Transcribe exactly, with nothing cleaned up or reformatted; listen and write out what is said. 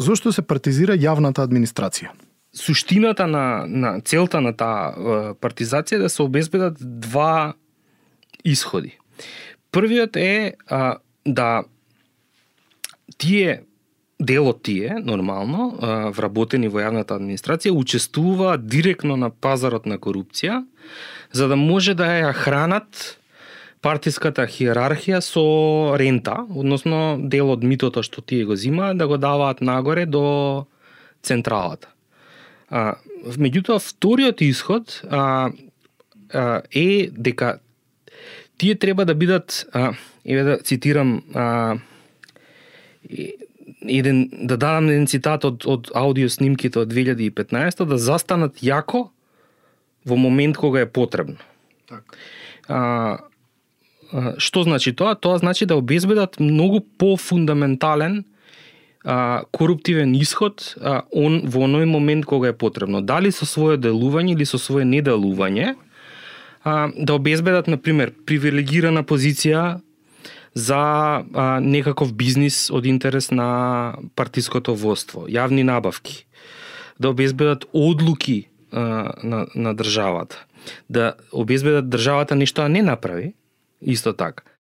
Зошто се партизира јавната администрација? Суштината на, на целта на таа партизација е да се обезбедат два исходи. Првиот е а, да тие дел од тие, нормално, а, вработени во јавната администрација, учествуваат директно на пазарот на корупција, за да може да ја хранат партиската хиерархија со рента, односно дел од митото што тие го зимаат, да го даваат нагоре до централата. А, меѓутоа, вториот исход а, а, е дека тие треба да бидат, а, еве да цитирам, а, еден, да дадам еден цитат од, од аудио снимките од две илјади и петнаесета, да застанат јако во момент кога е потребно. Так. А, а, што значи тоа? Тоа значи да обезбедат многу пофундаментален а, коруптивен исход а, он, во оној момент кога е потребно. Дали со свое делување или со свое неделување, а, да обезбедат, например, привилегирана позиција за а, некаков бизнис од интерес на партиското воство, јавни набавки, да обезбедат одлуки а, на, на државата, да обезбедат државата нешто да не направи, исто така.